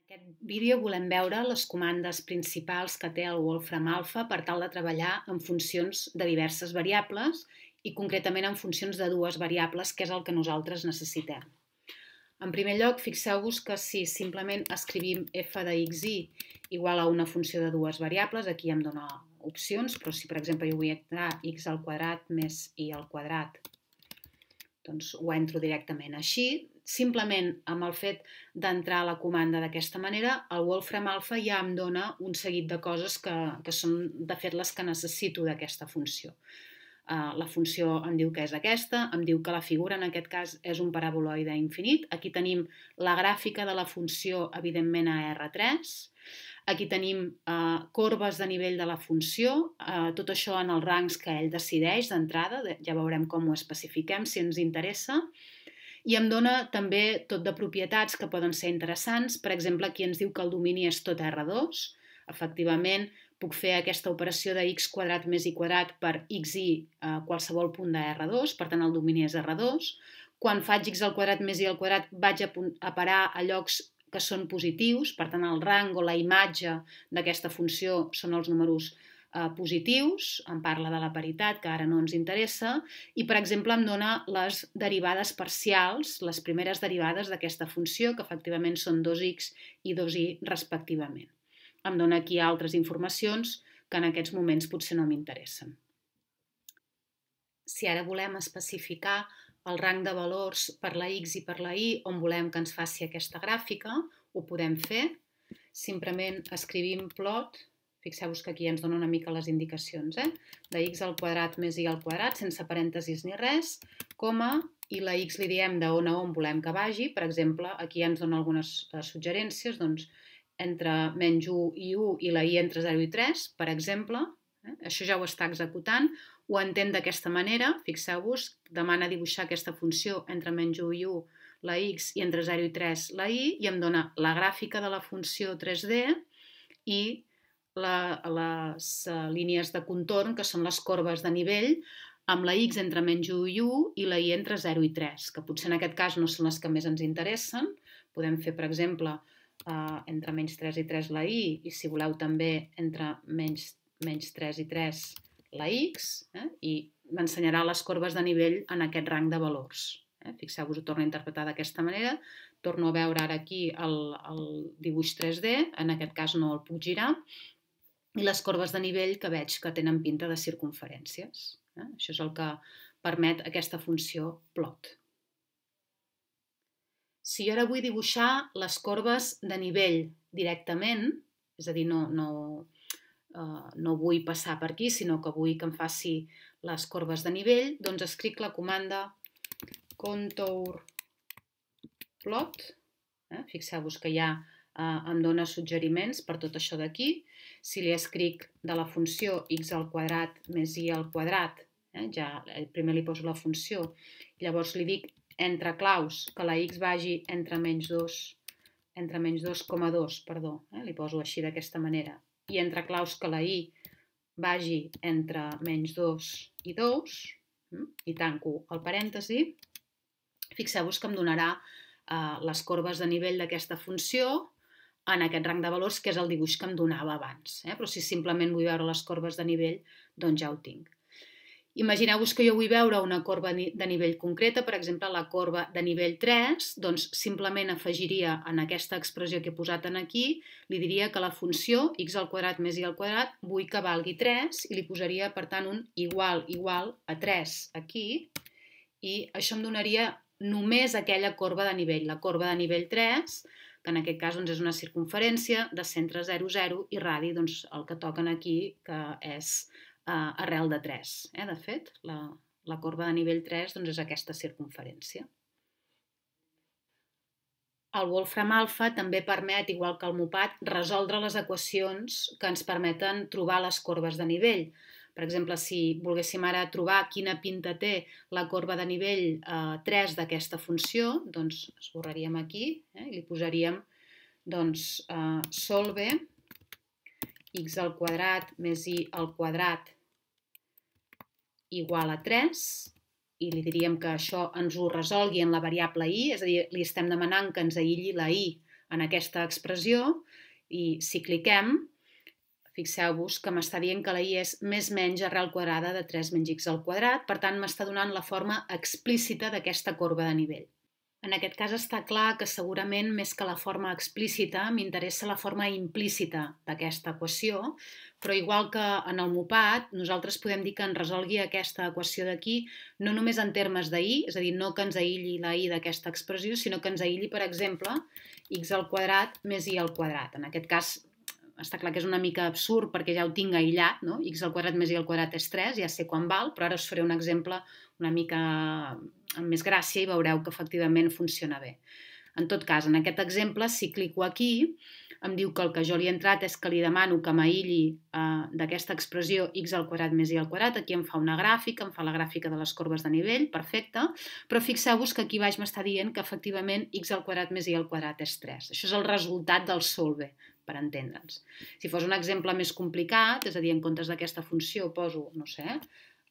En aquest vídeo volem veure les comandes principals que té el Wolfram Alpha per tal de treballar en funcions de diverses variables i concretament en funcions de dues variables, que és el que nosaltres necessitem. En primer lloc, fixeu-vos que si simplement escrivim f de xi igual a una funció de dues variables, aquí em dona opcions, però si per exemple jo vull entrar x al quadrat més i al quadrat, doncs ho entro directament així. Simplement amb el fet d'entrar a la comanda d'aquesta manera, el Wolfram Alpha ja em dona un seguit de coses que són de fet les que necessito d'aquesta funció. La funció em diu que és aquesta, em diu que la figura en aquest cas és un paraboloide infinit. Aquí tenim la gràfica de la funció, evidentment a R3. Aquí tenim corbes de nivell de la funció, tot això en els rangs que ell decideix d'entrada, ja veurem com ho especifiquem si ens interessa. I em dona també tot de propietats que poden ser interessants. Per exemple, aquí ens diu que el domini és tot R2. Efectivament, puc fer aquesta operació de x quadrat més y quadrat per xi a qualsevol punt de R2, per tant el domini és R2. Quan faig x al quadrat més y al quadrat vaig a parar a llocs que són positius, per tant el rang o la imatge d'aquesta funció són els números positius, em parla de la paritat, que ara no ens interessa, i per exemple em dona les derivades parcials, les primeres derivades d'aquesta funció, que efectivament són 2x i 2y respectivament. Em dona aquí altres informacions que en aquests moments potser no m'interessen. Si ara volem especificar el rang de valors per la x i per la y on volem que ens faci aquesta gràfica, ho podem fer. Simplement escrivim plot, fixeu-vos que aquí ens dona una mica les indicacions, de x al quadrat més y al quadrat, sense parèntesis ni res, coma, i la x li diem d'on a on volem que vagi. Per exemple, aquí ens dona algunes suggerències, doncs entre menys 1 i 1 i la y entre 0 i 3, per exemple. Això ja ho està executant, ho entén d'aquesta manera, fixeu-vos, demana dibuixar aquesta funció entre menys 1 i 1, la x, i entre 0 i 3 la y, i em dona la gràfica de la funció 3D i les línies de contorn, que són les corbes de nivell, amb la x entre menys 1 i 1 i la y entre 0 i 3, que potser en aquest cas no són les que més ens interessen. Podem fer, per exemple, entre menys 3 i 3 la y, i si voleu també entre menys 3 i 3 la x, i m'ensenyarà les corbes de nivell en aquest rang de valors. Fixeu-vos, ho torno a interpretar d'aquesta manera, torno a veure ara aquí el dibuix 3D, en aquest cas no el puc girar, i les corbes de nivell que veig que tenen pinta de circumferències. Això és el que permet aquesta funció plot. Si jo ara vull dibuixar les corbes de nivell directament, és a dir, no vull passar per aquí, sinó que vull que em faci les corbes de nivell, doncs escric la comanda contour plot. Fixeu-vos que ja em dona suggeriments per tot això d'aquí. Si li escric de la funció x al quadrat més y al quadrat, ja primer li poso la funció, llavors li dic entre claus que la x vagi entre menys 2,2, li poso així d'aquesta manera, i entre claus que la y vagi entre menys 2 i 2, i tanco el parèntesi. Fixeu-vos que em donarà les corbes de nivell d'aquesta funció en aquest rang de valors, que és el dibuix que em donava abans. Però si simplement vull veure les corbes de nivell, doncs ja ho tinc. Imagineu-vos que jo vull veure una corba de nivell concreta, per exemple, la corba de nivell 3, doncs simplement afegiria en aquesta expressió que he posat aquí, li diria que la funció x al quadrat més y al quadrat vull que valgui 3 i li posaria, per tant, un igual a 3 aquí, i això em donaria només aquella corba de nivell, la corba de nivell 3, que en aquest cas és una circumferència de centre 0, 0 i radi, doncs el que toquen aquí, que és arrel de 3. De fet, la corba de nivell 3 és aquesta circumferència. El Wolfram Alpha també permet, igual que el MOPAT, resoldre les equacions que ens permeten trobar les corbes de nivell. Per exemple, si volguéssim ara trobar quina pinta té la corba de nivell 3 d'aquesta funció, doncs esborraríem aquí i li posaríem solve x al quadrat més y al quadrat igual a 3, i li diríem que això ens ho resolgui en la variable y, és a dir, li estem demanant que ens aïlli la y en aquesta expressió i si cliquem, fixeu-vos que m'està dient que la i és més menys arrel quadrada de 3 menys x al quadrat, per tant m'està donant la forma explícita d'aquesta corba de nivell. En aquest cas està clar que segurament més que la forma explícita m'interessa la forma implícita d'aquesta equació, però igual que en el MUPAT, nosaltres podem dir que ens resolgui aquesta equació d'aquí no només en termes de i, és a dir, no que ens aïlli la i d'aquesta expressió, sinó que ens aïlli, per exemple, x al quadrat més i al quadrat. En aquest cas està clar que és una mica absurd perquè ja ho tinc aïllat, no? X al quadrat més i al quadrat és 3, ja sé quan val, però ara us faré un exemple una mica amb més gràcia i veureu que efectivament funciona bé. En tot cas, en aquest exemple, si clico aquí, em diu que el que jo li he entrat és que li demano que m'aïlli d'aquesta expressió x al quadrat més i al quadrat. Aquí em fa una gràfica, em fa la gràfica de les corbes de nivell, perfecte, però fixeu-vos que aquí baix m'està dient que efectivament x al quadrat més i al quadrat és 3. Això és el resultat del solve, per entendre'ns. Si fos un exemple més complicat, és a dir, en comptes d'aquesta funció poso, no sé,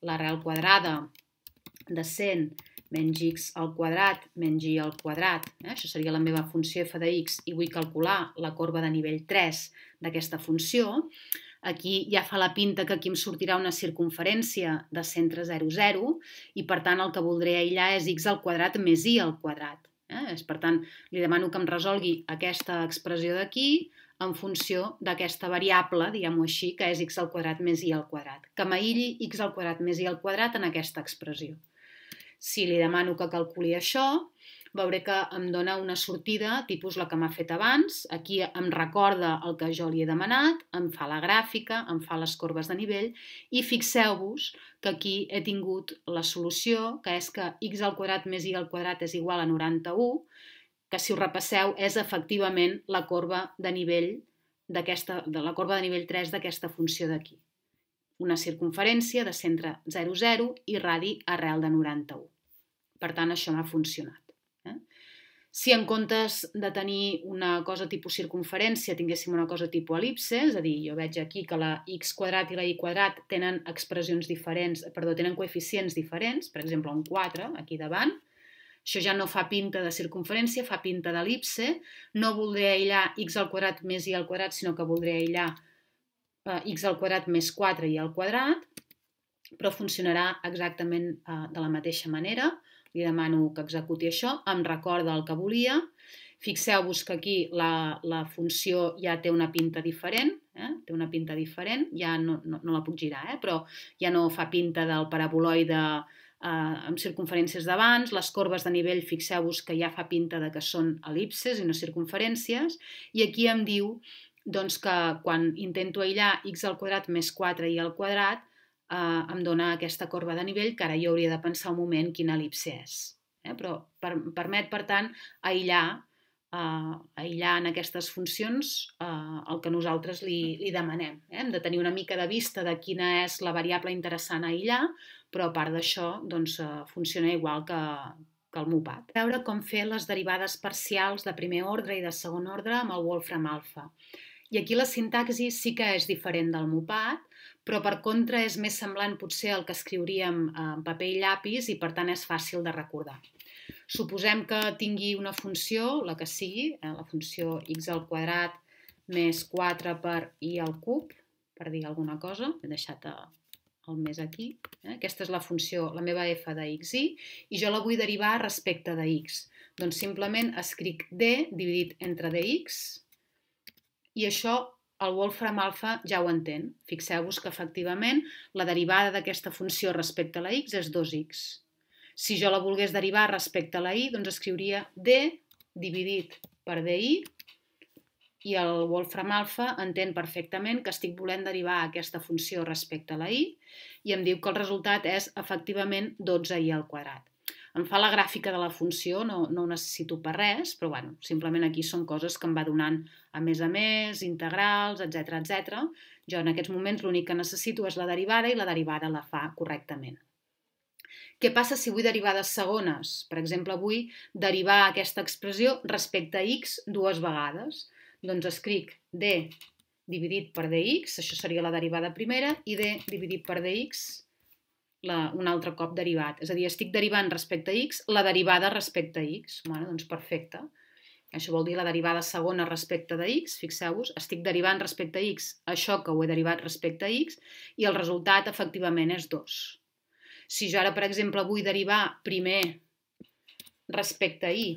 l'arrel quadrada de 100 menys x al quadrat menys i al quadrat, això seria la meva funció f de x i vull calcular la corba de nivell 3 d'aquesta funció, aquí ja fa la pinta que aquí em sortirà una circumferència de centre 0, 0 i per tant el que voldré aïllar és x al quadrat més i al quadrat. Per tant, li demano que em resolgui aquesta expressió d'aquí en funció d'aquesta variable, diguem-ho així, que és x al quadrat més i al quadrat, que m'aïlli x al quadrat més i al quadrat en aquesta expressió. Si li demano que calculi això, veuré que em dona una sortida tipus la que m'ha fet abans. Aquí em recorda el que jo li he demanat, em fa la gràfica, em fa les corbes de nivell i fixeu-vos que aquí he tingut la solució, que és que x al quadrat més i al quadrat és igual a 91, que si ho repasseu és efectivament la corba de nivell de la corba de nivell 3 d'aquesta funció d'aquí. Una circumferència de centre 0, 0 i radi arrel de 91. Per tant, això m'ha funcionat. Si en comptes de tenir una cosa tipus circumferència tinguéssim una cosa tipus el·lipse, és a dir, jo veig aquí que la x quadrat i la y quadrat tenen expressions diferents, tenen coeficients diferents, per exemple un 4 aquí davant, això ja no fa pinta de circunferència, fa pinta d'el·lipse, no voldré aïllar x al quadrat més i al quadrat, sinó que voldré aïllar x al quadrat més 4 i al quadrat, però funcionarà exactament de la mateixa manera. Li demano que executi això, em recorda el que volia. Fixeu-vos que aquí la funció ja té una pinta diferent, ja no la puc girar, però ja no fa pinta del paraboloide amb circunferències d'abans. Les corbes de nivell, fixeu-vos que ja fa pinta de que són el·lipses i no circunferències, i aquí em diu doncs, que quan intento aïllar x al quadrat més 4 i al quadrat em dona aquesta corba de nivell que ara jo hauria de pensar un moment quina el·lipse és. Però permet, per tant, aïllar en aquestes funcions el que nosaltres li demanem. Hem de tenir una mica de vista de quina és la variable interessant a aïllar, però a part d'això funciona igual que el MUPAT. Veure com fer les derivades parcials de primer ordre i de segon ordre amb el Wolfram alfa. I aquí la sintaxi sí que és diferent del MUPAT, però per contra és més semblant potser al que escriuríem en paper i llapis i per tant és fàcil de recordar. Suposem que tingui una funció, la que sigui, la funció x al quadrat més 4 per i al cub, per dir alguna cosa, he deixat el més aquí. Aquesta és la funció, la meva f de xi, i jo la vull derivar respecte de x. Doncs simplement escric d dividit entre dx, i això el Wolfram alfa ja ho entén. Fixeu-vos que efectivament la derivada d'aquesta funció respecte a la x és 2x. Si jo la volgués derivar respecte a la y, doncs escriuria d dividit per di, i el Wolfram alfa entén perfectament que estic volent derivar aquesta funció respecte a la y i em diu que el resultat és efectivament 12i al quadrat. Em fa la gràfica de la funció, no ho necessito per res, però bueno, simplement aquí són coses que em va donant a més, integrals, etc. Jo en aquests moments l'únic que necessito és la derivada i la derivada la fa correctament. Què passa si vull derivades segones? Per exemple, vull derivar aquesta expressió respecte a x dues vegades. Doncs escric d dividit per dx, això seria la derivada primera, i d dividit per dx un altre cop derivat. És a dir, estic derivant respecte a x la derivada respecte a x. Bueno, doncs perfecte. Això vol dir la derivada segona respecte de x, fixeu-vos, estic derivant respecte a x això que ho he derivat respecte a x i el resultat efectivament és 2. Si jo ara, per exemple, vull derivar primer respecte a y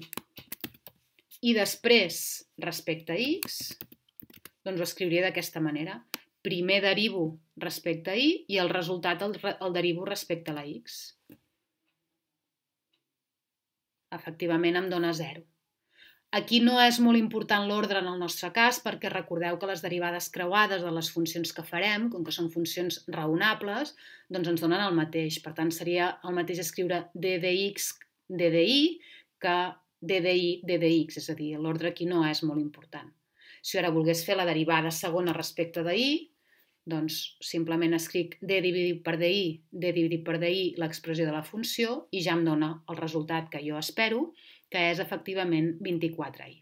i després respecte a x, doncs ho escriuria d'aquesta manera. Primer derivo respecte a y i el resultat el derivo respecte a la x. Efectivament em dona 0. Aquí no és molt important l'ordre en el nostre cas perquè recordeu que les derivades creuades de les funcions que farem, com que són funcions raonables, doncs ens donen el mateix. Per tant, seria el mateix escriure d dx d dy que d dy d dx, és a dir, l'ordre aquí no és molt important. Si ara volgués fer la derivada segona respecte de y, doncs simplement escric d dividit per dy l'expressió de la funció i ja em dona el resultat que jo espero, que és efectivament 24i.